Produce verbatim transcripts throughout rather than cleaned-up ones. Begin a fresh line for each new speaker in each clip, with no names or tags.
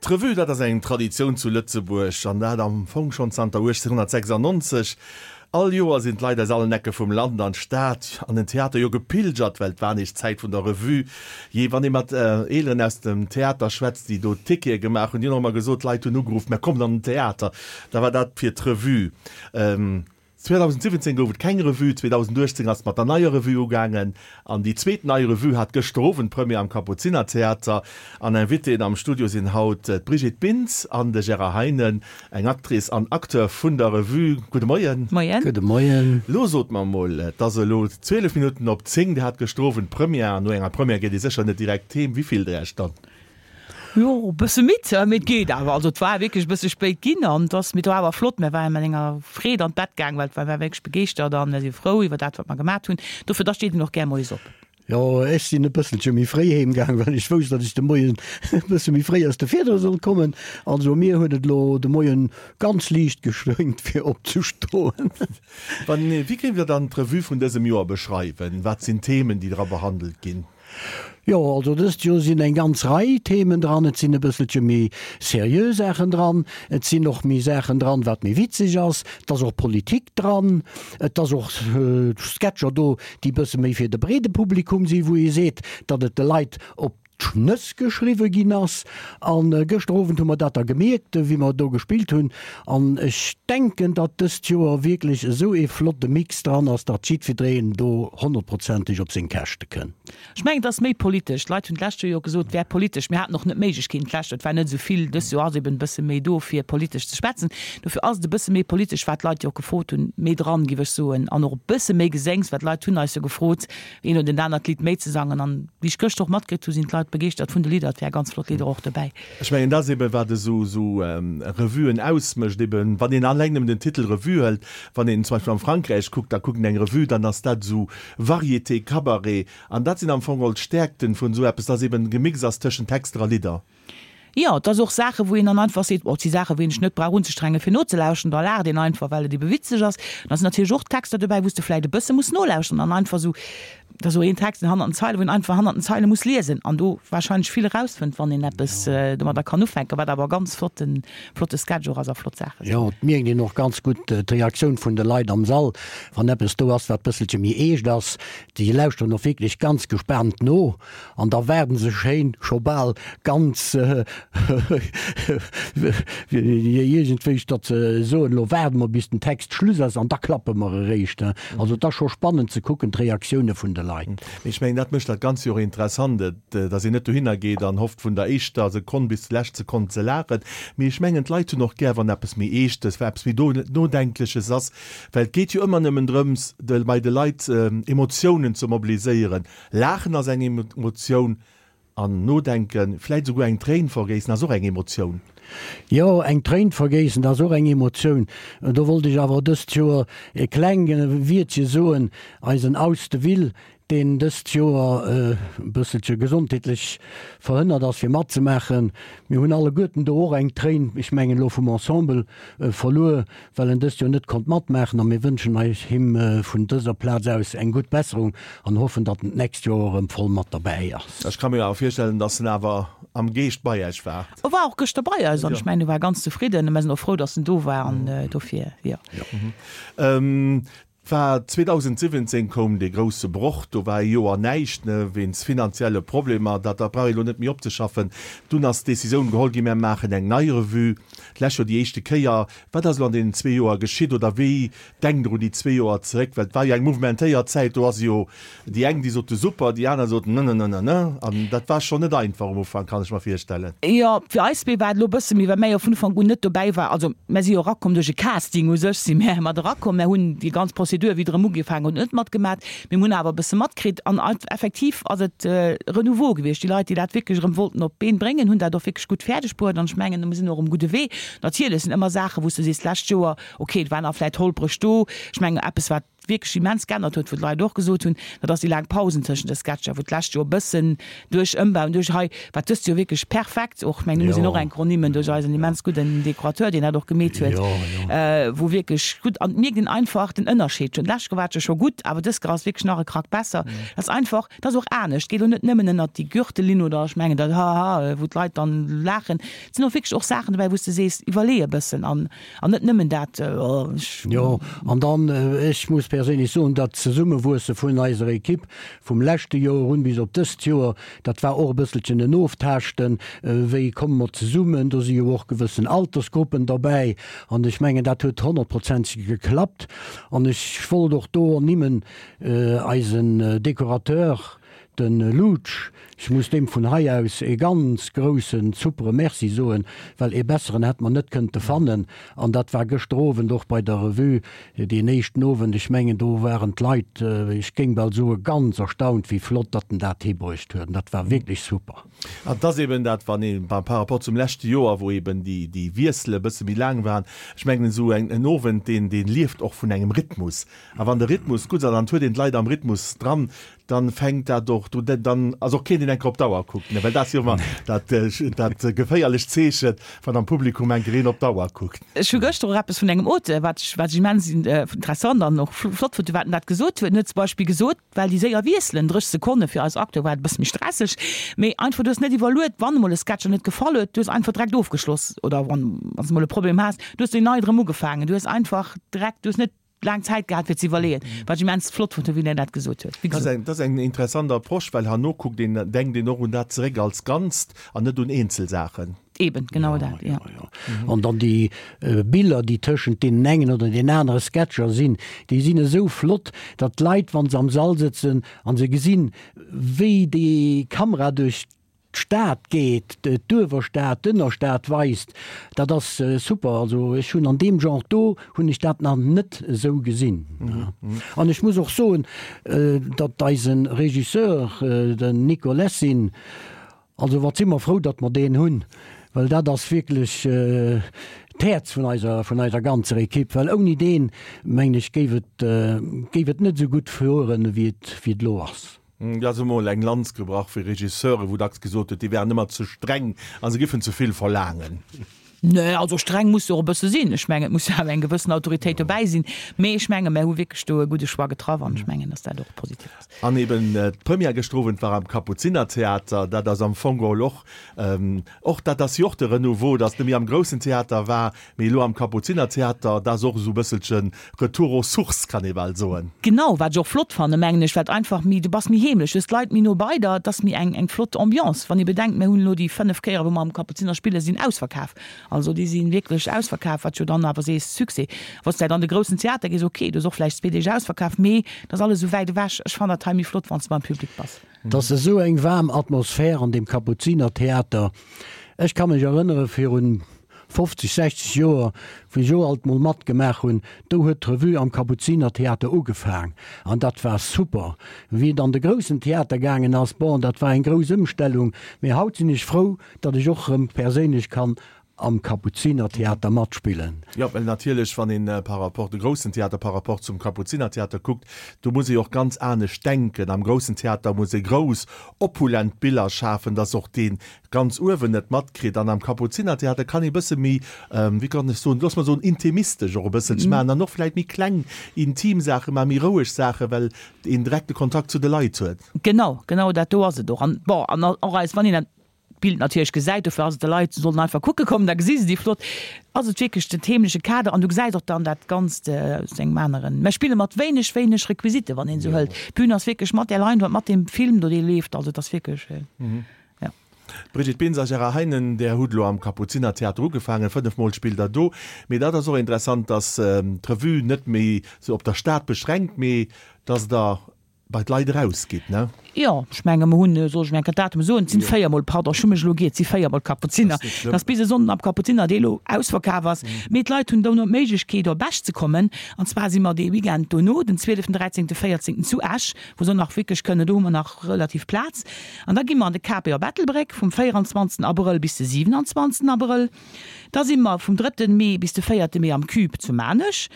D'Revue, dat ass eng Traditioun zu Lëtzebuerg, an dat am Fong schonn zanter uechtzénhunnertsechsandnonzeg. All Joer sinn d'Leit aus allen Ecke vum Land an d'Stad, an den Theater jo gepilgert, well et war nees d'Zäit vun der Revue. Jee, wann ee mat Eeleren aus dem Theater schwätzt, déi do Tickete gemaach hunn, déi hunn och ëmmer gesot, d'Leit hunn ugeruff, Mä kommt an den Theater! Da war dat fir d'Revue. zweedausendsiwwenzéng gouf et keng Revue, zweedausenduechtzéng ass et mat der neier Revue ugaangen an déi zweet nei Revue hat gëschter Owend Première am Kapuzinertheater. An Invitéen am Studio sinn haut d'Brigitte Bintz an de Gérard Heinen, eng Actrice an Acteur vun der Revue. Gudde Moien.
Moien.
Gudde Moien.
Lo sot mer emol, et ass elo zwielef Minutten op zéng, Dir hat gëschter Owend Première an no enger Première geet ee sécher net direkt heem. Wéi fillt Der Iech dann?
Jo, e bësse midd, mee et geet awer. Also et war wierklech e bësse spéit ginn an et ass, mee et war awer flott. Mir ware mat enger Freed an d'Bett gaang, well et war wierklech begeeschtert an mir si frou iwwer dat, wat mer gemat hunn. Dofir, da steet een och gär moies op.
Jo, ech sinn e bësselche méi fréi heem gaang, well ech wousst, datt ech de Moien e bësse méi fréi aus de Fiedere sollt kommen. Also mir huet et elo de Moien ganz liicht geschwéngt, fir opzestoen.
Wann, wéi géift Der dann d'Revue vun dësem Joer beschreiwen? Wat sinn d'Themen, déi dra behandelt ginn?
Jo, also dëst Joer sinn eng ganz Rei Themen dran. Et sinn e bësselche méi seriö Saachen dran. Et sinn och méi Saachen dran, wat méi witzeg ass. Et ass och Politik dran. Et ass och Sketcher do, déi bësse méi fir de breede Publikum sinn, wou ee seet, datt et de Leit op d'Schnëss geschriwwe ginn ass. A gëschter Owend hu mer dat da gemierkt, wéi mer do gespillt hunn. An ech denken, datt dëst Joer wierklech esou ee flotte Mix dran ass, datt jiddwereen do honnertprozenteg op seng Käschte kënnt.
Ech mengen, et ass méi politesch. D'Leit hunn d'lescht Joer jo gesot, et wär politesch. Mir haten och net d'Méiglechkeeten d'lescht Joer, et war net esou vill. Dëst Joer ass eben e bësse méi do, fir politesch ze schwätzen. Dofir ass et e bësse méi politesch, wat d'Leit jo och gefrot hunn, méi dran, géif ech soen. An och e bësse méi Geséngs, well d'Leit hunn eis jo gefrot, een oder en anert Lidd méi ze sangen. An wéi ech gëschter och matkritt hu sinn d'Leit begeeschtert vun de Lidder. Et wäre ganz flott Lidder och dobäi.
Ech mengen, dat ass eben, wat esou esou Revuen ausmécht, eben wann een alleng nëmmen den Titel Revue hëlt. Wann een zum Beispill am Frankräich kuckt, da kuckt een eng Revue, dann ass dat esou Variété, Cabaret. An dat sinn am Fong geholl d'Stäerkten vun esou eppes, dass eben gemixt ass tëschent Texter a Lidder.
Jo, et ass och Saachen, wou een dann einfach seet, oh, et si Saachen, wou een sech net brauch unzestrengen, fir nozelauschteren, da laacht een einfach, well et ebe witzeg ass. Da sinn natierlech och Texter dobäi, wou s de vläicht e bësse muss nolauschteren an einfach esou, et ass esou een Text, deen hannert den Zeilen, wou een einfach hannert den Zeile muss liesen an do warscheinlech vill erausfënnt, wann een eppes domadder kann ufänken, wat awer e ganz flotten, flotte Sketch och ass a flott Saache sinn.
Jo, et mierkt een och ganz gutt d'Reaktioun vun de Leit am Sall, wann eppes do ass, wat bësselche méi eescht ass. Déi lauschteren och wierklech ganz gespaant no an da waarden se schéin scho bal ganz iergendwéi, datt se soen, elo waarde mer bis den Text Schluss ass an da klappe mer eréischt. Also et ass scho spannend ze kucken, d'Reaktioune vun de Leit.
Mee ech mengen, dat mécht dat Ganzt jo och interessant, datt een net dohinner geet an hofft vun der éischter Sekonn bis zur lescht Sekonn ze laachen. Mee ech mengen, d'Leit hunn och gär, wann eppes méi Eeschtes, wa eppes méi Nodenkleches ass, well et geet jo ëmmer nëmmen drëms, de bei de Leit Emotiounen ze mobiliséieren. Laachen ass eng Emotioun an nodenken, vläit esouguer eng Tréin vergéissen ass och eng Emotioun.
Jo, eng Tréin vergéissen ass och eng Emotioun. Do wollt ech awer dëst Joer e klenge Wiertche soen, Eisen Aus de Ville, deen dëst Joer e bësselche gesondheetlech verhënnert ass fir matzemaachen. Mir hunn alleguerten do och eng Tréin, ech mengen elo vum Ensemble, verluer, well en dëst Joer net konnt matmaachen a mir wënschen eis him vun dëser Plaz aus eng gutt Besserung an hoffen, datt en d'nächst Joer erëm voll mat derbäi ass.
Ech ka mir awer virstellen, datt en awer am Geescht bei Äech war.
E war och gëschter bei eis an ech mengen, e war ganz zefridden a mir sinn och frou, datt en do war an dofir, jo.
War zweedausendsiwwenzéng koum dee grousse Broch, do war ee Joer näischt, ne, wéinst finanzielle Problemer, dat da brauch ee lo net méi opzeschaffen. Dunn ass d'Decisioun geholl ginn, mir maachen eng nei Revue, d'lescht Joer déi éischte Kéier. Wat ass elo an deenen zwee Joer geschitt oder wéi denkt Der un déi zwee Joer zeréck? Well et war jo eng mouvementéiert Zäit, do ass jo déi eng, déi sote super, déi aner soten nënnënnënnënnë. An dat war schonn net einfach um Ufank, kann ech mer virstellen.
Jo, fir eis zwee war et elo e bësse méi, well mär jo vun Ufank un net dobäi war. Also mär si jo erakomm duerch e Casting u sech si mär mat erakomm. Mär hunn déi ganz Prozedur, wéi et erëm ugefaangen huet, net matgemat, mee mir hunn awer e bësse matkritt. An effektiv ass et e Renouveau gewiescht. Déi Leit, déi dat wierklech erëm wollten op d'Been bréngen, hunn dat och wierklech gutt fäerdeg bruet. An ech mengen, mir sinn och um gudde Wee. Natierlech sinn ëmmer Saachen, wou s du sees, d'lescht Joer, okay, et war nach vläicht holpreg do. Ech mengen, eppes, wat wierklech immens geännert huet, wou d'Leit och gesot hunn, dat ass déi laang Pausen tëschent de Sketcher, wou d'lescht Joer e bëssen duerch Ëmbau an duerch hei, wat dëst Joer wierklech perfekt, och, ech mengen, do muss een och eng Kronimmen duerch eisen immens gudden Dekorateur, deen dat och gemeet huet, wou wierklech gutt, an et mierkt een einfach den Ënnerscheed schonn. D'lescht Joer war et jo scho gutt, awer dëst Joer ass wierklech nach e Krack besser. Dat ass einfach, dat ass och anescht, et geet elo net nëmmen ënnert déi Gürtellinn oder ech mengen dat Haha, wou d'Leit dann laachen. Et sinn och wierklech och Saachen dobäi, wou s de sees, iwwerlee e bëssen an an net nëmmen dat, oh ech.
Jo, an dann, ech muss perséinlech soen, dat Zesummewuesse vun eiser Ekipp vum leschte Joer un bis op dëst Joer, dat war och e bësselchen en Oftaaschten, wéi komme mer zesummen, do si jo och gewëssen Altersgruppen derbäi an ech mengen, dat huet honnertprozenteg geklappt. An ech wollt och do ernimmen eisen Dekorateur, Den Lutsch, ech muss deem vun hei aus ee ganz groussen, supere Merci soen, well ee besseren hätt mer net kënnte fannen. An dat war gëschter Owend och bei der Revue, deen éischten Owend, ech mengen do waren d'Leit, ech géing bal soe ganz erstaunt, wéi flott datt en dat hibruecht huet. An dat war wierklech super.
An et ass eben dat, wann ee par rapport zum leschte Joer, wou eben déi, déi Wiessele e bësse méi laang waren, ech mengen esou en Owend, deen, deen lieft och vun engem Rhythmus. A wann de Rhythmus gutt ass an et huet een d'Leit am Rhythmus dran, dann fänkt dat och, du, dann ass och keen, deen eng Kéier op d'Auer kuckt, ne, well dat ass jo ëmmer dat, dat geféierlecht Zeechen, wann am Publikum eng Kéier een op d'Auer kuckt.
Ech hu gëschter och eppes vun engem Auteur, wat ech, wat ech immens interessant an och flott fonnt, wat en dat gesot huet. En huet zum Beispill gesot, well déi séier wiesselen, drécheg Sekonne fir eis Acteur war et e bësse méi stresseg, mee einfach, du hues net iwwerluet, wann emol e Sketch der net gefall huet, du hues einfach direkt ofgeschloss oder wann, wann s de emol e Problem has, du hues deen nei erëm ugefaangen, du hues einfach direkt, du hues net laang Zäit gehat fir ze iwwerleeën, wat ech immens flott fonnt hunn, wéi en dat gesot huet. Wéi
Dat ass
gesot.
eng, dat ass eng interessant Approche, well herno kuckt een, denkt een och un dat zeréck als Ganzt an net un eenzel Saachen.
Eben, genau dat, jo.
An dann déi Biller, déi tëschent deenen engen oder den anere Sketcher sinn, déi sinn esou flott, datt d'Leit, wa se am Sall sëtzen a se gesinn, wéi déi Kamera duerch d'Stad geet, d'Uewerstad, d'Ënnerstad weist, dat ass super. Also ech hunn an deem Genre do hunn ech dat nach net esou gesinn. An ech muss och soen, datt eise Regisseur, den Nico Lessin, also wat si mer frou, datt mer deen hunn, well dat ass wierklech d'Häerz vun eiser, vun eiser ganzer Ekipp, well ouni deen, mengen ech, géif et, géif et net esou gutt fueren, wéi et, wéi et elo ass.
Et ass emol eng Lanz gebrach fir Regisseure, wou dacks gesot huet, déi wären ëmmer ze streng a se giffen ze vill verlaangen.
Nee, also streng muss se och e bësse sinn. Ech mengen, et muss jo awer eng gewëssen Autoritéit dobäi sinn. Mee ech menge mär hu wierklech do e gudde Choix getraff an ech mengen, datt dat och positiv ass.
An eben d'Première gëschter Owend war am Kapuzinertheater. Dat ass am Fong geholl och, och dat ass jo och de Renouveau, datt net méi am groussen Theater war, mee elo am Kapuzinertheater. Dat ass och esou e bësselche Retour aux sources, kann ee bal soen.
Genau, wat ech och flott fannen, mengen ech, well einfach méi, du bass méi heemlech, du hues d'Leit méi no bei der, et ass méi eng eng flott Ambiance. Wann ee bedenkt, mir hunn elo déi fënnef Kéiere wou mer am Kapuziner spillen, sinn ausverkaf. Also déi si wierklech ausverkaf, wat jo dann awer sees, Succès. Wann s de an de groussen Theater gees, ok, do ass och vläicht zwee Deeg ausverkaf, mee et ass alles esou wäit ewech. Ech fannen dat hei méi flott, wann s de beim Public bass.
Et ass esou eng waarm Atmosphär an deem Kapuzinertheater. Ech ka mech erënnere virun fofzeg, sechzeg Joer, wou ech och alt mol matgemaach hunn, do huet d'Revue am Kapuzinertheater ugefaang an dat war super. Wéi et an de groussen Theater gaangen ass, bon, dat war eng grouss Ëmstellung, mee haut sinn ech frou, datt ech och erëm perséinlech kann am Kapuzinertheater matspillen.
Jo, well natierlech, wann een par rapport de groussen Theater par rapport zum Kapuzinertheater kuckt, do muss ee jo och ganz anescht denken. Am groussen Theater muss ee grouss, opulent Biller schafen, datt och dee ganz uewen et matkritt. An am Kapuzinertheater kann ee bësse méi, wéi kann ech soen, looss mer soen, intimistesch och e bësselche maachen an och vläicht méi kleng, intim Saache maachen, méi roueg Saachen, well een direkte Kontakt zu de Leit huet.
Genau, genau dat do ass et och. An bon, an och eis, wann een dat Bild natierlech gesäit, dofir ass et, de Leit sollen einfach kucke kommen, da gesi se déi flott, ass et wierklech den heemleche Kader an du gesäis och dann dat Ganzt aus engem aneren, mer spille mat wéineg, wéineg Requisiten, wann een esou hëlt. D'Bün ass wierklech mat där Leinwand, mat deem Film do, dee leeft, also et ass wierklech, jo.
Brigitte Bintz a Gérard Heinen, Där hutt elo am Kapuzinertheater ugefaangen, fënnef Mol spillt Der do. Mee dat ass och interessant, dass d'Revue net méi sou op der Stad beschränkt, mee dass Der bei d'Leit erausgitt, ne?
Jo, ech menge mer hunn, soll ech mir eng Kéier d'Datume soen, et sinn véier Mol, pardon, ech hu mech elo giert, et si véier Mol Kapuziner, dat ass bis e Sonnden am Kapuziner, dee elo ausverkaf ass. Mee d'Leit hunn dono d'Méiglechkeet op Esch ze kommen, an zwar si mer dee Weekend dono, den zwieleften, dräizéngten, véierzéngten zu Esch, wou se och nach wierklech kënnen, do hu mer nach relativ Plaz. An da gi mer an de K P op Ettelbréck vum véieranzwanzegsten Abrëll bis de siwenanzwanzegsten Abrëll. Da si mer vum drëtten Mee bis de véierte Mee am Cube zu Maarnech.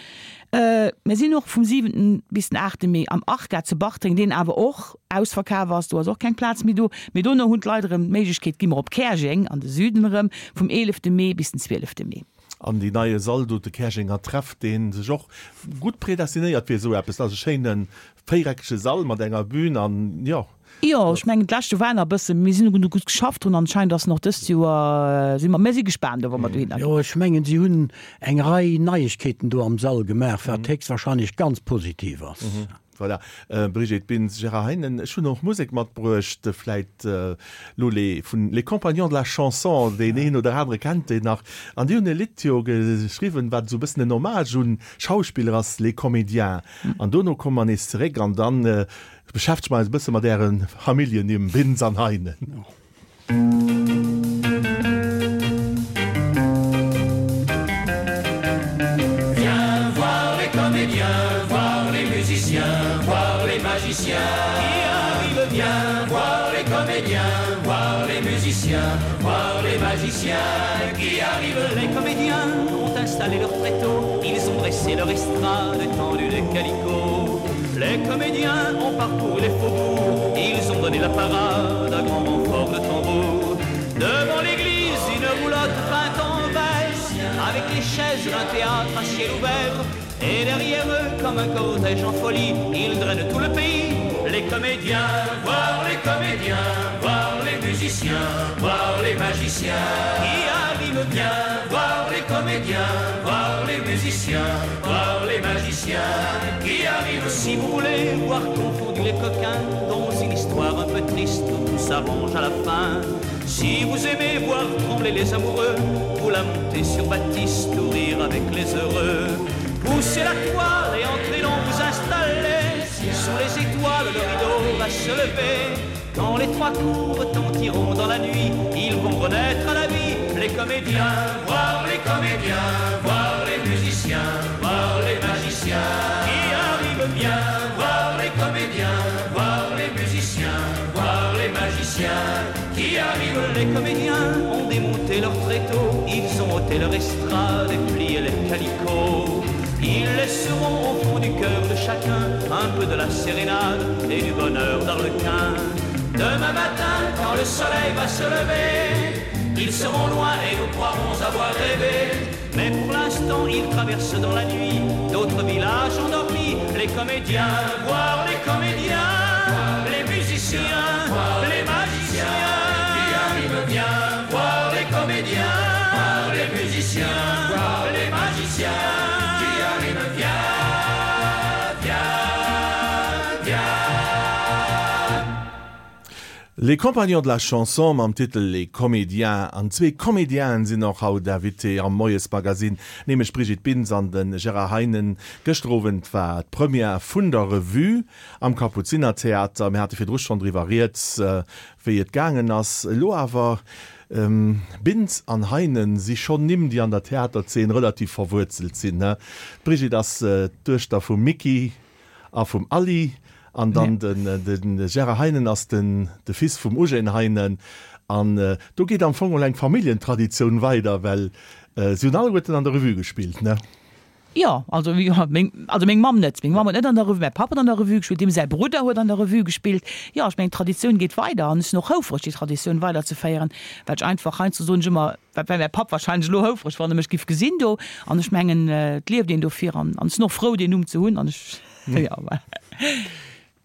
Mir sinn och vum siwenten bis den aachte Mee am Arca zu Bartreng, deen awer och ausverkaf ass, do ass och keng Plaz méi do. Mee dono hunn d'Leit erëm d'Méiglechkeet, gi mer op Käerjeng an de Süden erëm, vum eelefte Mee bis den zwielefte Mee.
An deen neie Sall do, de Käerjenger Treff, dee sech och gutt predestinéiert fir esou eppes. Dat ass e schéine véiereckege Sall mat enger Bühn an, jo.
Jo, ech mengen d'lescht Joer war nach e bësse, mir sinn hunn gutt geschafft drun, anscheinend ass en och dëst Joer, si mer, mir si gespaant do, wa mer dohinner
ginn. Jo, ech mengen si hunn eng Rei Neiegkeeten do am Sall gemaach, wat héchstwahrscheinlech ganz positiv ass.
Voilà, Brigitte Bintz, Gérard Heinen, ech hunn och Musek matbruecht, vläit lo les vun Les Compagnons de la Chanson, deen een oder anere kennt déi nach, an déi hunn e Lidd jo geschriwwen, wat esou e bëssen en Hommage un Schauspiller ass, Les Comédiens. An dono komme mer nees zeréck an dann beschäftege mer eis e bësse mat äre Familljennimm Bintz an Heinen.
Viens voir les comédiens, voir les musiciens, voir les magiciens qui arrivent. Viens voir les comédiens, voir les musiciens, voir les magiciens qui arrivent. Les comédiens ont installé leur tréteau, ils ont dressé leur estrade étendu des calicots. Les comédiens ont parcouru les faubourgs, ils ont donné la parade à grand renfort de tambour. Devant l'église, une roulotte peinte en vert, avec les chaises d'un théâtre à ciel ouvert. Et derrière eux, comme un cortège en folie, ils drainent tout le pays. Les comédiens, voir les comédiens, voir les musiciens, voir les magiciens qui arrivent bien, voir les comédiens, voir les musiciens, voir les magiciens qui arrivent. Si vous voulez voir confondu les coquins dans une histoire un peu triste où tout s'arrange à la fin, si vous aimez voir trembler les amoureux, vous la montez sur Baptiste ou rire avec les heureux. Poussez la toile et entrez donc vous installer. Sous les étoiles, le rideau va se lever. Quand les trois coups retentiront dans la nuit, ils vont renaître à la vie. Les comédiens, voir les comédiens, voir les musiciens, voir les magiciens qui arrivent bien, voir les comédiens, voir les musiciens, voir les magiciens qui arrivent. Les comédiens ont démonté leur tréteau, ils ont ôté leur estrade et plié les calicots. Ils laisseront au fond du cœur de chacun un peu de la sérénade et du bonheur d'Arlequin. Demain matin, quand le soleil va se lever, ils seront loin et nous croirons avoir rêvé. Mais pour l'instant, ils traversent dans la nuit d'autres villages endormis. Les comédiens, voir les comédiens, les musiciens, les magiciens qui arrivent bien, voir les comédiens, les musiciens, les magiciens qui arrivent bien, bien, bien.
Les Compagnons de la Chanson mam Titel Les Comédiens. An zwee Comédienen sinn och haut Invité am Moiesmagazin, nämlech d'Brigitte Bintz an de Gérard Heinen. Gëschter Owend war d'Première vun der Revue am Kapuzinertheater. Mir hate virdru schonn driwwer rieds, wéi et gaangen ass. Elo awer, Bintz an Heinen si schonn Nimm, déi an der Theaterzeen relativ verwuerzelt sinn. D'Brigitte ass d'Duechter vum Micky a vum Aly an dann de Gérard Heinen ass de Fils vum Eugène Heinen. An do geet am Fong och eng Familljentraditioun weider, well si hunn alleguerten an der Revue gespillt, ne?
Jo, also jo, meng, also meng Mamm net. Meng Mamm huet net an der Revue, mäi Papp huet an der Revue gespillt, deem säi Brudder huet an der Revue gespillt. Jo, ech mengen, d'Traditioun geet weider an ech sinn och houfreg, déi Traditioun weiderzeféieren, well ech einfach heiansdo soen ech ëmmer, wat wär mäi Papp wahrscheinlech elo houfreg, wann e mech giff gesinn do. An ech mengen, et lieft een dofir an an ech sinn och frou, deen Numm ze hunn an ech, jo, voilà.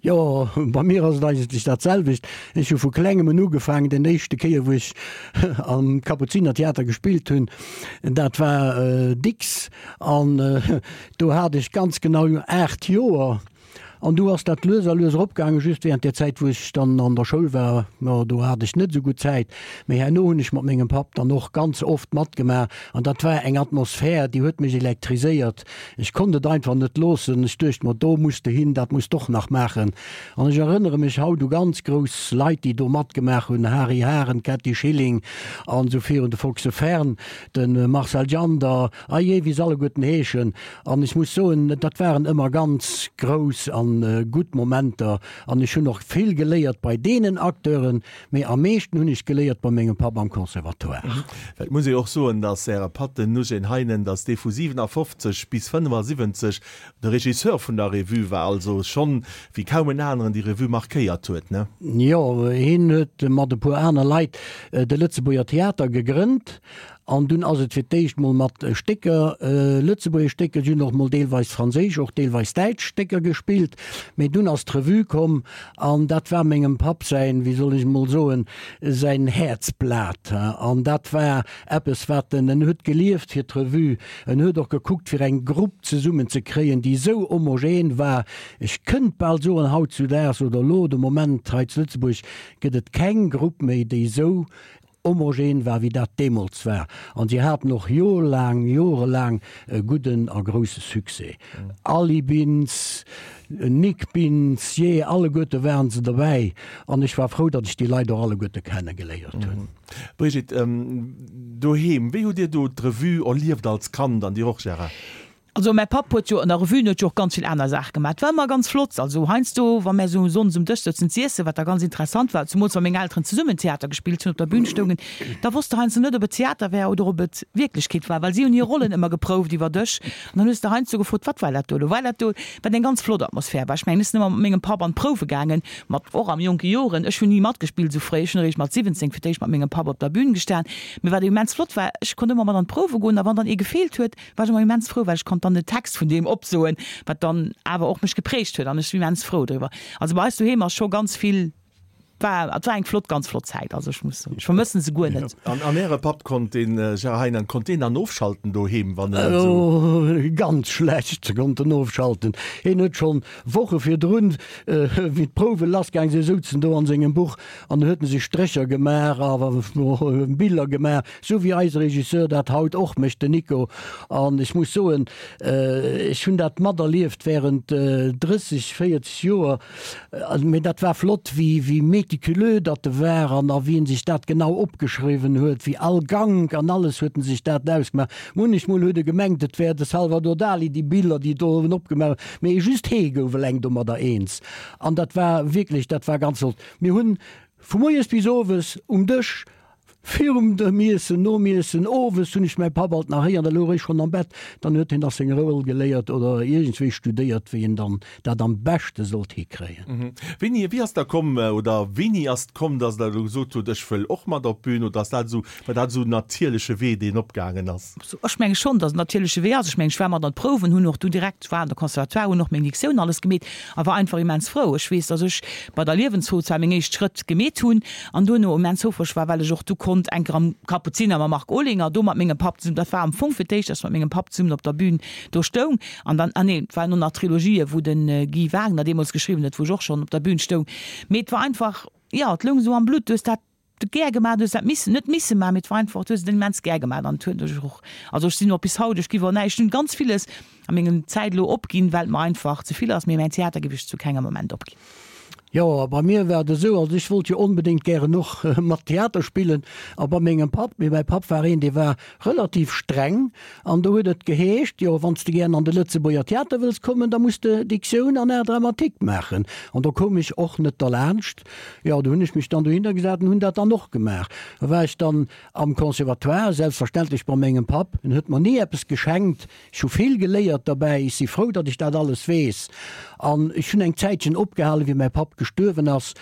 Jo, bei mir ass et eigentlech dat selwecht. Ech hu vu klengem un ugefaangen. Den éischte Kéier, wou ech am Kapuzinertheater gespillt hunn, dat war Dicks. An do hat ech ganz genau aacht Joer. An du ass dat lues a lues eropgaangen, just während där Zäit, wou ech dann an der Schoul war, jo, do hat ech net esou gutt Zäit. Mee herno hunn ech mat mengem Papp dann och ganz oft matgemaach. An dat war eng Atmosphär, déi huet mech elektriséiert. Ech konnt et einfach net loossen. Ech duecht mer, do muss de hin, dat muss d'och nach maachen. An ech erënnere mech haut u ganz grouss Leit, déi do matgemaach hunn, Hari Haren, Kätti Schilling an esou virun, de Foxe Fern, de Marcel Jander, ahjee, wéi se alleguerten heeschen. An ech muss soen, dat waren ëmmer ganz grouss a an gutt Momenter an ech hunn och vill geléiert bei deenen Acteuren, mee am meeschten hunn ech geléiert bei mengem Papp am Conservatoire.
Well et muss ee jo och soen, datt Äre Papp, den Eugène Heinen, datt dee vu siwenafofzeg bis fënnefasiwwenzeg de Regisseur vun der Revue war, also schonn wéi kaum en aneren déi Revue markéiert huet, ne?
Jo, hien huet mat e puer aner Leit de Lëtzebuerger Theater gegrënnt an dunn ass et fir d'éischt mol mat Stécker, lëtzebuergesch Stécker, si hunn och mol deelweis franséisch, och deelweis däitsch Stécker gespillt, mee dunn ass d'Revue komm an dat war mengem Papp säin, wéi soll ech mol soen, säin Häerzblat. An dat war eppes wat en, en huet gelieft fir d'Revue, en huet och gekuckt fir eng Grupp zesummen ze kréien, déi esou homogen war, ech kënnt bal soen, hautzudaags oder elo de Moment hei zu Lëtzebuerg gëtt et keng Grupp méi, déi esou homogen war, wéi dat deemools war. An si haten och jorelaang, jorelaang e gudden a grousse Succès. Aly Bintz, Nic Bintz, jee, alleguerte waren se derbäi. An ech war frou, datt ech déi Leit och alleguerte kenne geléiert hunn.
Brigitte, doheem, wéi hutt Dir do d'Revue erlieft als Kand an Dir och, Gérard?
Also mäi Papp huet jo an der Revue, en huet jo och ganz vill aner Saache gemaach. Et war ëmmer ganz flott. Also heiansdo, wa mär esou sonndes um Dësch souzen z'iessen, wat da ganz interessant war, zemools wa meng Elteren zesummen Theater gespillt hunn, op der Bühn stoungen, da wosst de heiansdo net, ob et Theater war oder ob et Wierklechkeet war, well si hunn hir Rollen ëmmer geprouft iwwer Dësch. An dann hues de heiansdo gefrot, Wat war dat do elo? War dat do? Wat eng ganz flott Atmosphär war. Ech mengen, ech sinn ëmmer mat mengem Papp an d'Prouwe gaangen, mat och am jonke Joren. Ech hunn ni matgespillt esou fréi. Ech hunn eréischt mat siwwenzéng fir d'éischt mat mengem Papp op der Bühn gestan. Mee wat immens flott war, ech konnt ëmmer mat an d'Prouwe goen a wann dann ee gefeelt huet, war ech ëmmer immens frou, well ech konnt dann den Text vun deem opsoen, wat dann awer och mech geprägt huet an ech sinn immens frou driwwer. Also bei eis doheem ass scho ganz vill, war, et war eng flott, ganz flott Zäit, also ech muss soen, ech vermëssen se guer net.
An, an Äre Papp konnt deen, Gérard Heinen, konnt deen dann ofschalten doheem, wann en esou.
Oh, ganz schlecht konnt en ofschalten. Hien huet schonn Woche virdrun, wéi d'Prouwe lassgaang sinn, souz en do an sengem Buch an huet en sech Strécher gemaach a Biller gemaach, Sou wéi eise Regisseur dat haut och mécht, den Nico. An ech muss soen, ech hunn dat materlieft während drësseg, véierzeg Joer. Mee dat war flott, wéi, wéi méticuleux datt e war an a wéi en sech dat genau opgeschriwwen huet, wéi all Gank an alles huet en sech dat ausgemaach. Munnechmol huet e gemengt, et wär de Salvador Dali, déi Biller, déi do en opgemaach huet. Mee just hee gouf eleng domadder eens. An dat war wierklech, dat war ganz flott. Mir hunn vu moies bis owes um Dësch Virum dem Iessen, nom Iessen, owes hunn ech mäi Papp alt nach héieren, da louch ech schonn am Bett, dann huet hien nach seng Roll geléiert oder iergendswéi studéiert, wéi en dann dat am beschte sollt hikréien.
Wéini, wéi ass da komm, oder wéini ass et komm, dass Der elo gesot hutt, ech wëll och mat op d'Bün, oder ass dat esou, war dat esou en natierleche Wee, deen opgaangen ass?
Ech menge schonn, dass et en natierleche Wee ass. Ech mengen, ech war mat an d'Prouwen, hunn och du direkt, war an der Conservatoire, hunn och meng Diktioun alles gemeet a war einfach immens frou. Ech weess, dass ech bei der Liewensfro zwar meng éischt Schrëtt gemeet hunn an duerno immens houfreg war, well ech och du konnt enker am Kapuziner mam Marc Olinger, do mat mengem Papp zesummen, dat war am Fong fir d'éischt, dass ech mat mengem Papp zesummen op der Bühn do stoung an dann, ah nee, et waren och nach Trilogië wou de Guy Wagner deemools geschriwwen huet, wou ech och schonn op der Bühn stoung. Mee et war einfach, jo, et loung esou am Blutt, du hues dat gär gemaach, du hues dat missen, net misse maachen, mee et war einfach, du hues et immens gär gemaach an et huet mech och, also ech sinn och bis haut, ech giff och näischt, ech hunn ganz villes a mengem Zäit elo opginn, well et mer einfach ze vill ass, mee mäin Theater giff ech zu kengem Moment opginn.
Jo, a bei mir war et esou, also ech wollt jo onbedéngt gären och mat Theater spillen a bei mengem Papp, mee mäi Papp war een, dee war relativ streng an do huet et geheescht, jo, wann s de gären an de Lëtzebuerger Theater wëlls kommen, da muss de Diktioun an Art dramatique maachen. An do koum ech och net derlaanscht. Jo, do hunn ech mech dann dohinner gesat an hunn dat dann och gemaach. Da war ech dann am Conservatoire, selbstverständlech bei mengem Papp, en huet mer ni eppes geschenkt, Ech hu vill geléiert derbäi, ech si frou, datt ech dat alles weess. An ech hunn eng Zäitchen opgehalen, wéi mäi Papp gestuerwen ass.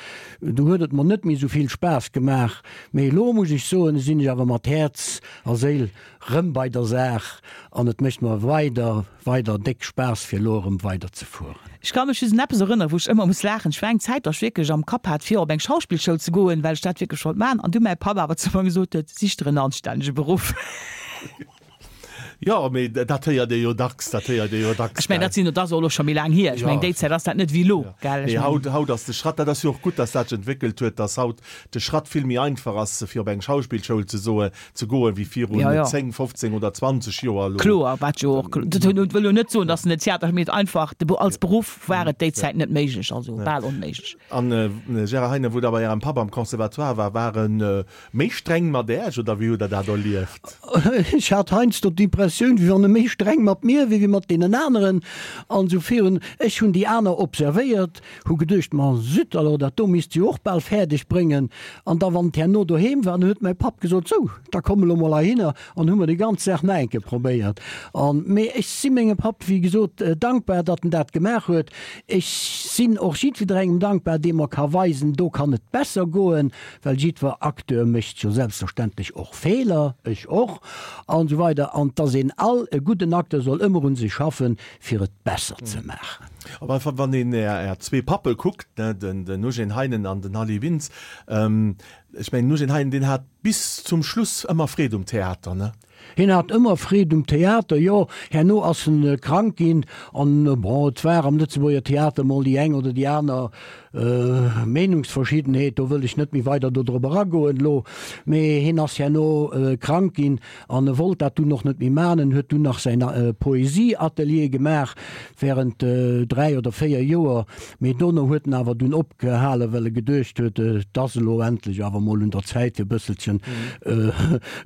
Du huet et mer net méi esou vill Spaass gemaach. Mee elo muss ech soen, sinn ech awer mat Häerz a Séil rëm bei der Saach an et mécht mer weider, weider déck Spaass, fir elo erëm weider ze fueren.
Ech ka mech just un eppes erënneren, wou ech ëmmer muss laachen. Ech war eng Zäit, datt ech wierklech am Kapp hat, fir op eng Schauspillschoul ze goen, well ech dat wierklech wollt maachen. An du mäi Papp awer zu mer gesot huet, Sich der en anstännege Beruff.
Jo, mee dat héiert ee jo dacks, dat héiert ee jo dacks,
Ech mengen, dat sinn, dat ass och elo scho méi laang hier. Ech mengen, déi Zäit ass dat net wéi elo, gell?
Nee, haut, haut ass de Schratt, dat ass jo och gutt, dass dat sech entwéckelt huet, dass haut de Schratt vill méi einfach ass, fir op eng Schauspillschoul ze soe, ze goen, wéi virun zéng, fofzéng oder zwanzeg Joer elo.
Kloer, wat jo och, dat wëll jo net soen, dass den Theater, mee einfach de, als Beruff war et déi Zäit net méiglech, also bal onméiglech.
An, Gérard Heinen, wou Der bei Ärem Papp am Conservatoire war, war en méi streng mat Äech oder wéi hutt Der dat erlieft?
Ech hat heiansdo d'Impressioun, d'Impressioun, wéi wann e méi streng mat mir wier wéi mat deenen aneren an esou virun. Ech hunn déi aner observéiert, hu geduecht, Ma zut alors, dat do misst se jo och bal fäerdeg bréngen. An da wann et herno doheem war, dann huet mäi Papp gesot, Sou, da komm elo mol heihinner an hu mer déi ganz Saach nach eng Kéier probéiert. An, mee ech si mengem Papp, wéi gesot, dankbar, datt en dat gemaach huet. Ech sinn och jiddwerengem dankbar, dee mer ka weisen, do kann et besser goen, well jiddwer Acteur mécht jo selbstverständlech och Feeler, ech och, an esou weider, an dass een all, e gudden Acteur soll ëmmer un sech schaffen, fir et besser ze maachen.
Op alle Fall, wann een Är zwee Pappe kuckt, ne, den Eugène Heinen an den Aly Wintz, ech mengen, den Eugène Heinen, deen hat bis zum Schluss ëmmer Freed um Theater, ne?
Hien hat ëmmer Freed um Theater, jo. Herno ass en krank ginn an, bon, et war am Lëtzebuerger Theater mol déi eng oder déi aner Meenungsverschiddenheet, do wëll ech net méi weider dodrop eragoen elo, mee hien ass herno krank ginn an e wollt dat dunn och net méi man. En huet dunn nach säin Poesieatelier gemaach während dräi oder véier Joer, mee dono huet en awer dunn opgehalen, well e geduecht huet, et ass elo endlech awer mol un der Zäit fir e bësselchen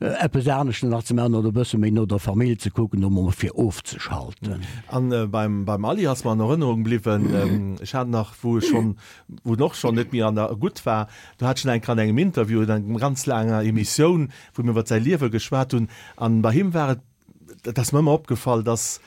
eppes anescht nach ze man oder e bësse méi no der Famill ze kucken, um emol fir ofzeschalten.
An beim beim Aly ass mer an Erënnerung bliwwen, ech hat nach, wou ech schonn, wou en och schonn net méi an der gutt war, do hat ech en eng Kéier an engem Interview, an engem ganz laanger Emissioun, wou mir iwwer säi Liewe geschwat hunn, an bei him war et, dat ass mer ëmmer opgefall, dass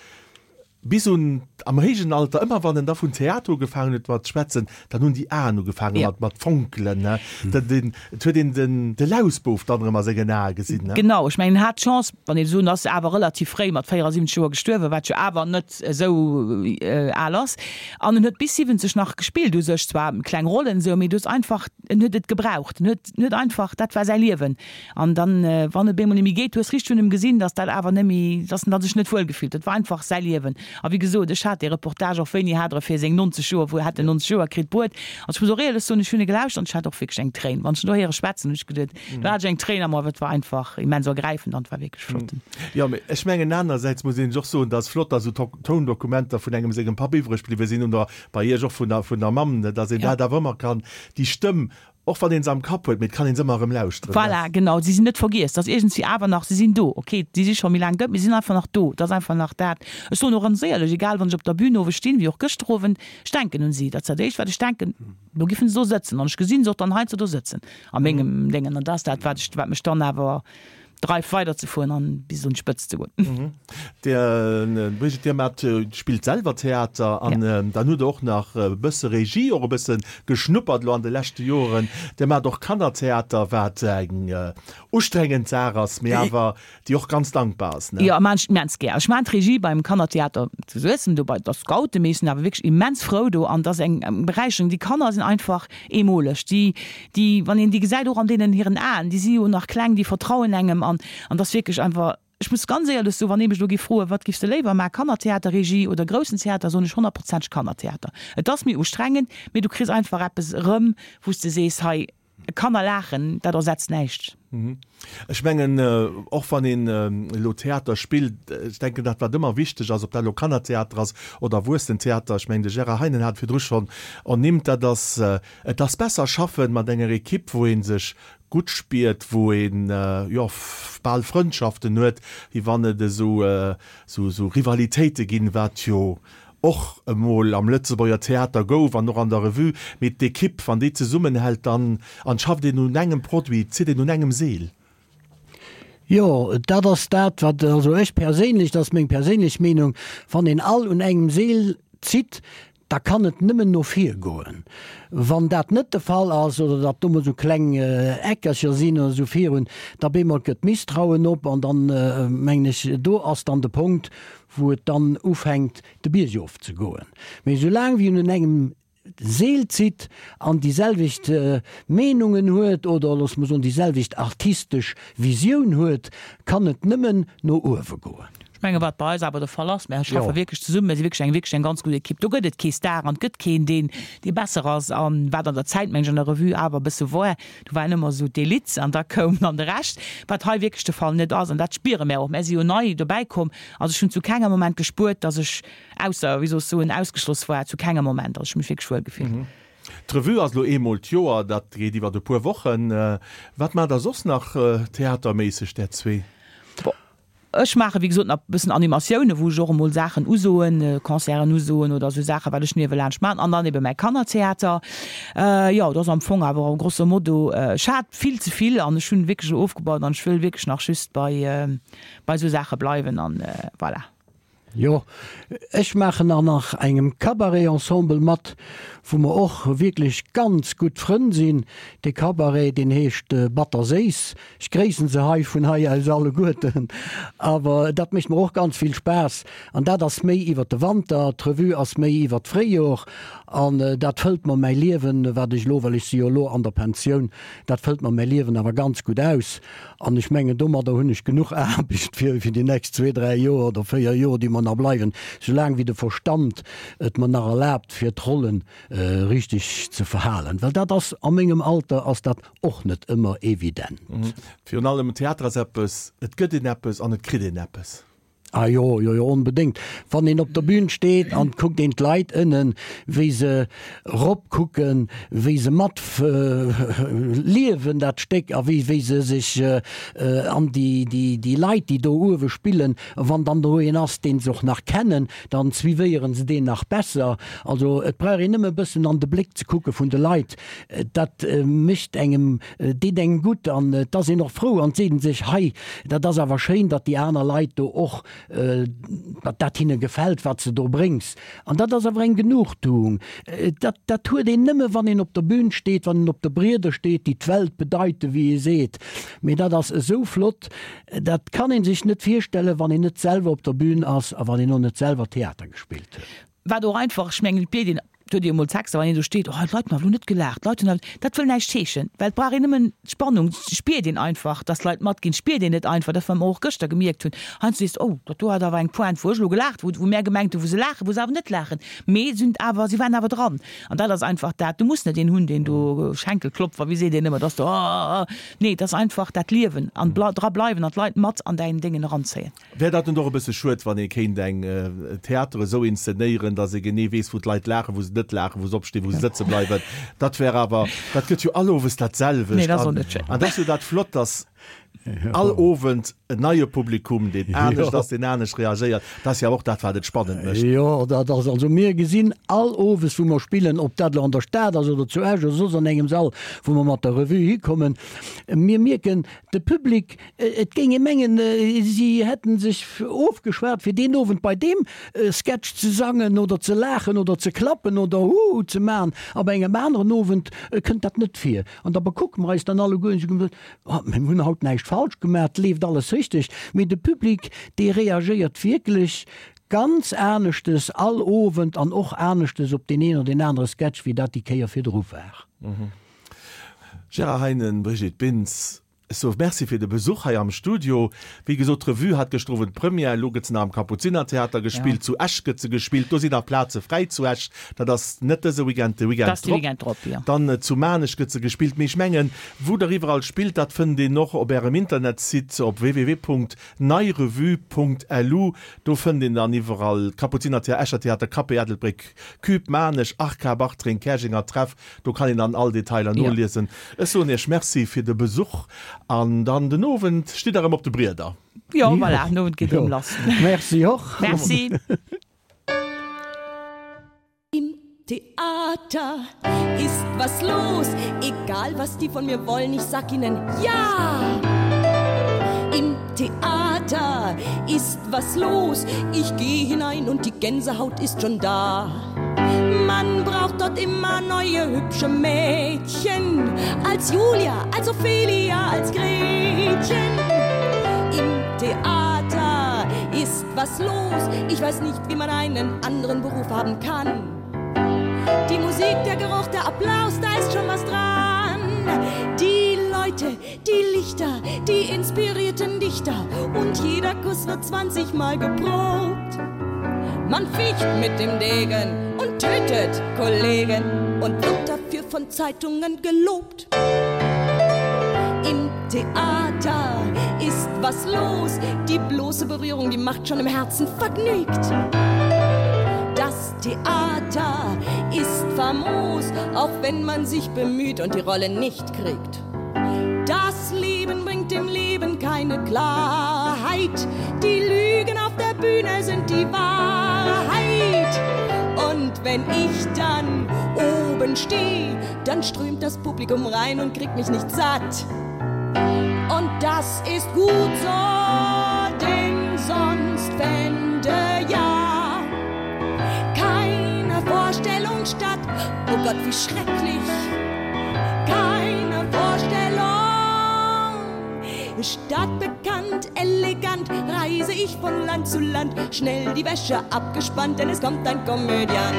bis un am héijen Alter, ëmmer wann en da vun Theater ugefaangen huet mat schwätzen, dann hunn déi Aen ugefaange mat mat fonkelen, ne. Dat een, et huet een den de Lausbouf dann erëm a sengen Ae gesinn, ne.
Genau, ech mengen en hat d'Chance, wann een esou, en ass awer relativ fréi mat véierasiwwenzeg Joer gestuerwen, wat jo awer net esou al ass, an en huet bis siwwenzeg nach gespillt u sech, zwar kleng Rollen esou, mee du hues einfach, en huet et gebraucht, en huet, en huet einfach, dat war säi Liewen. An dann, wann et bemol net méi geet, du hues richteg un em gesinn, dass dat awer net méi, dass en da sech net wuel gefillt huet. Et war einfach säi Liewen. A wéi gesot, ech hat dee Reportage och, wéini hat Der e fir seng nonzeg Joer, wou hat en nonzeg Joer kritt, bruet. An ech muss och éierlech soen, ech hunn e gelauschtert an ech hat och wierklech eng Tréin. Wann ech en do héiere schwätzen, hunn ech geduet, do hat ech eng Tréin am A, well et war einfach immens ergräifend an et war wierklech flott.
Jo, mee ech mengen anersäits muss een sech och soen, dass flott, dass esou Toundokumenter vun engem sengem Papp iwwreg bliwwe sinn oder bei Iech och vun der, vun der Mamm, dass een dat awer ëmmer kann, déi Stëmm Och wann een se am Kapp huet, mee et kann een se ëmmer erëm lauschteren.
Voilà, genau, si sinn net vergiess, dass iergendwéi awer nach, si sinn do, ok, si si scho méi laang dout, mee si sinn einfach nach do, et ass einfach nach dat. Ech soen och ganz éierlech, egal wann ech op der Bühn owes stinn, wéi och gëschter Owend, ech denken un si, dat ass dat éischt wat ech denken, lo giffen se do sëtzen an ech gesinn se och dann heiansdo do sëtzen a mengem Déngen an dat ass dat wat ech, wat mech dann awer dreift weider ze fueren an bis un d'Spëtzt ze goen.
Dir, Brigitte, Dir maacht, spillt selwer Theater an dann hutt Der och nach e bësse Regie och e bësse geschnuppert elo an de leschte Joren. Dir maacht och Kannertheater, wat eng ustrengend Saach ass, mee awer déi och ganz dankbar ass, ne?
Jo, maachen ech immens gär. Ech maachen d'Regie beim Kannertheater zu Suessem, do bei der Scouten, mee ech sinn awer wierklech immens frou do an et ass eng Beräicherung. Déi Kanner sinn einfach eemoleg, déi, déi, wann een déi gesäit, och an deenen hiren Aen, déi si jo nach kleng, déi vertrauen engem an, an et ass wierklech einfach, ech muss ganz éierlech soen, wann ee mech elo géif froen, wat giffs de léiwer maachen, Kannertheaterregie oder groussen Theater, soen ech honnertprozenteg Kannertheater. Et ass méi ustrengend, mee du kriss einfach eppes erëm, wou s de sees, hei, Kanner laachen, dat ersetzt näischt.
Ech mengen, och wann een elo Theater spillt, ech denken, dat wat ëmmer wichteg ass, ob dat elo Kannertheater ass oder Erwuessentheater, ech mengen, de Gérard Heinen hat et virdru schonn ernimmt, dat ass, et ass besser schaffen mat enger Equipe, wou ee sech gutt spiert, wou een, jo, bal Frëndschaften huet, wéi wann et esou, esou Rivalitéite ginn, wat jo och emol am Lëtzebuerger Theater gouf an och an der Revue, mee d'Equipe, wann déi zesummenhält, dann an schafft een un engem Produit, zitt een un engem Seel.
Jo, dat ass dat, wat, also ech perséinlech, dat ass meng perséinlech Meenung, wann een all un engem Seel zitt, da kann et nëmmen no vir goen. Wann dat net de Fall ass oder datt do mol esou kleng Eckercher sinn oder esou virun, da bemol gëtt Misstrauen op an dann, mengen ech, do ass dann de Punkt, wou et dann ufänkt de Bierg of ze goen. Mee soulaang wéi een un engem Seel zitt an déi selwecht Meenungen huet oder loosse mer soen déi selwecht artistesch Visioun huet, kann et nëmmen no uewe goen.
Ech menge wat bei eis awer de Fall ass, mär schaffe wierklech zesummen, mär si wierklech eng wierklech eng ganz gutt Ekipp. Do gëtt et kee Star an et gëtt keen deen dee besser ass. An wat an der Zäit meng ech an der Revue awer e bësse woar, do waren ëmmer esou d'Elite an da koum dann de Rescht, wat hei wierklech de Fall net ass. An dat spiere mär och. Mär si jo nei dobäi komm. Also ech hunn zu kengem Moment gespuert, dass ech ausser, wéi soll ech soen, ausgeschloss war, zu kengem Moment. Also ech hu mech wierklech wuel gefillt.
D'Revue ass elo eemol d'Joer, dat geet iwwert e puer Wochen. Wat maacht der soss nach theaterméisseg, där zwee?
Bon, Ech maache wéi gesot nach e bëssen Animatiounen, wou ech och emol Saachen usoen, Concerten usoen oder esou Saachen, wat ech niewelaanscht maachen. An dann ebe mäi Kannertheater. Jo, dat ass am Fong awer grosso modo. Ech hat vill ze vill an ech hunn wierklech elo ofgebaut an ech wëll wierklech nach just bei bei esou Saache bleiwen an voilà.
Jo, ech maachen an nach engem Cabaret-Ensemble mat, wou mer och wierklech ganz gutt Frënn sinn. Dee Cabaret, deen heescht Batter Séiss. Ech gréissen se hei vun hei aus alleguerten. Awer dat mécht mer och ganz vill Spaass. An dat ass méi iwwer de Wanter, d'Revue ass méi iwwer d'Fréijor. An dat fëllt mer mäi Liewen, wat ech elo, well ech si jo elo an der Pensioun, dat fëllt mer mäi Liewen awer ganz gutt aus. An ech mengen, domadder hunn ech genuch Aarbecht fir fir déi nächst zwee, dräi Joer oder véier Joer, déi mer nach bleiwen, soulaang wéi de Verstand et mer nach erlaabt, fir d'Rollen richteg ze verhalen. Well dat ass, a mengem Alter ass dat och net ëmmer evident.
Virun allem Theater ass eppes, et gëtt een eppes an et kritt een eppes.
Ah jo, jo, jo, onbedéngt. Wann een op der Bühn steet an et kuckt een d'Leit ënnen, wéi se ropkucken, wéi se mat liewen dat Stéck a wéi, wéi se sech an déi, déi, déi Leit, déi do uewe spillen, wann dann do een ass, deen se och nach kennen, dann suivéieren se deen nach besser. Also et brauch een nëmme e bëssen an de Bléck ze kucke vun de Leit, dat mécht engem, deet engem gutt an et ass een och frou an et seet een sech, hei, dat ass awer schéin, datt déi aner Leit do och datt dat hinne gefält, wat s de do bréngs. An dat ass awer eng Genugtuung. Dat, dat huet een nëmme, wann een op der Bühn steet, wann een op de Brieder steet, déi d'Welt bedeiten, wéi ee seet. Mee dat ass esou flott, dat kann ee sech net virstellen, wann een net selwer op der Bühn ass a wann een och net selwer Theater gespillt huet.
Wat och einfach, ech mengen, et bléit een Et huet ee emol Texter, wann een do steet, oh, d'Leit hunn awer elo net gelaacht, d'Leit hunn awer, dat wëll näischt heeschen, well et brauch een nëmmen d'Spannung, spiert een einfach, dass d'Leit matginn, spiert een net einfach, dat wat mer och gëschter gemierkt hunn, heiansdo sees de, oh, dat do hat awer eng Pointe, wou ech elo gelaacht, wou wou mär gemengt hunn, wou se laachen, wou se awer net laachen, mee se hunn awer, si waren awer dran. An dat ass einfach dat, du muss net een hunn, deen do Schenkelklopfer, wéi seet een ëmmer, dass de, oh, oh, nee, et ass einfach dat Liewen an dra bleiwen an d'Leit mat an däin Déngen eranzéien.
Wär dat net och e bësse schued, wann ee kéint eng Theater esou inszenéieren, datt ee genee weess, wou d'Leit laachen, wou se net laachen, wou se opstinn, wou se sëtze bleiwen? Dat wär awer, dat gëtt jo all Owes dat selwecht.
Nee, dat ass och net schéin.
An dat ass jo dat Flott, datt all Owend en neie Publikum, deen anescht ass, deen anescht reagéiert. Dat ass jo awer och dat, wat et spannend mécht.
Jo, dat ass, also mir gesinn all Owes, wou mer spillen, ob dat elo an der Stad ass oder zu Esch oder soss an engem Sall, wou mer mat der Revue hikommen, mir mierken, de Public, et géing ee mengen, si hätten sech ofgeschwat, fir deen Owend bei deem Sketch ze sangen oder ze laachen oder ze klappen oder Huhu ze maachen, a bei engem aneren Owend kënnt dat net vir. An da bekucke mer eis dann alleguer an soen, Oh, mir hunn haut näischt falsch gemaach, et leeft alles richteg. Mee de Public, dee reagéiert wierklech ganz aneschtes all Owend an och aneschtes op deen een oder deen anere Sketch, wéi dat déi Kéier virdru war.
Gérard Heinen, Brigitte Bintz, ech soe Merci fir de Besuch hei am Studio. Wéi gesot, d'Revue hat gëschter Owend Première, elo gëtt se nach am Kapuzinertheater gespillt, zu Esch gëtt se gespillt, do sinn nach Plaze fräi zu Esch, dat ass net dëse Weekend, de Weekend drop. Dann zu Maarnech gëtt se gespillt. Mee ech mengen, wou Der iwwerall spillt, dat fënnt een och op Ärem Internetsite op www.neirevue.lu. Do fënnt een dann iwwerall Kapuzinertheater, Escher Theater, Café Ettelbréck, Cube, Maarnech, Arca, Bartreng, Käerjenger Treff. Do kann een dann all Detailer noliesen. Ech soen Iech Merci fir de Besuch an dann den Owend stitt Der erëm op de Brieder.
Jo, voilà, den Owend geet erëm lass.
Merci och.
Merci.
Im Theater ist was los, egal was die von mir wollen, ich sag ihnen ja! Im Theater ist was los, ich geh hinein und die Gänsehaut ist schon da. Man braucht dort immer neue hübsche Mädchen, als Julia, als Ophelia, als Gretchen. Im Theater ist was los, ich weiß nicht, wie man einen anderen Beruf haben kann. Die Musik, der Geruch, der Applaus, da ist schon was dran. Die Leute, die Lichter, die inspirierten Dichter und jeder Kuss wird zwanzig Mal geprobt. Man ficht mit dem Degen und tötet Kollegen und wird dafür von Zeitungen gelobt. Im Theater ist was los, die bloße Berührung, die macht schon im Herzen vergnügt. Das Theater ist famos, auch wenn man sich bemüht und die Rolle nicht kriegt. Das Leben bringt dem Leben keine Klarheit. weit. Die Lügen auf der Bühne sind die Wahrheit. Und wenn ich dann oben stehe, dann strömt das Publikum rein und kriegt mich nicht satt. Und das ist gut so, denn sonst fände ja keine Vorstellung statt. Oh Gott, wie schrecklich! Keine Vorstellung. Stadtbekannt, elegant reise ich von Land zu Land, schnell die Wäsche abgespannt, denn es kommt ein Komödiant.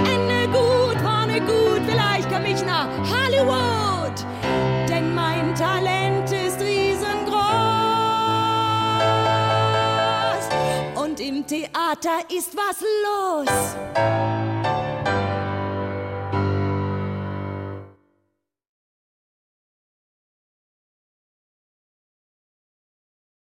Ende gut, vorne gut, vielleicht komm ich nach Hollywood, denn mein Talent ist riesengroß. Und im Theater ist was los.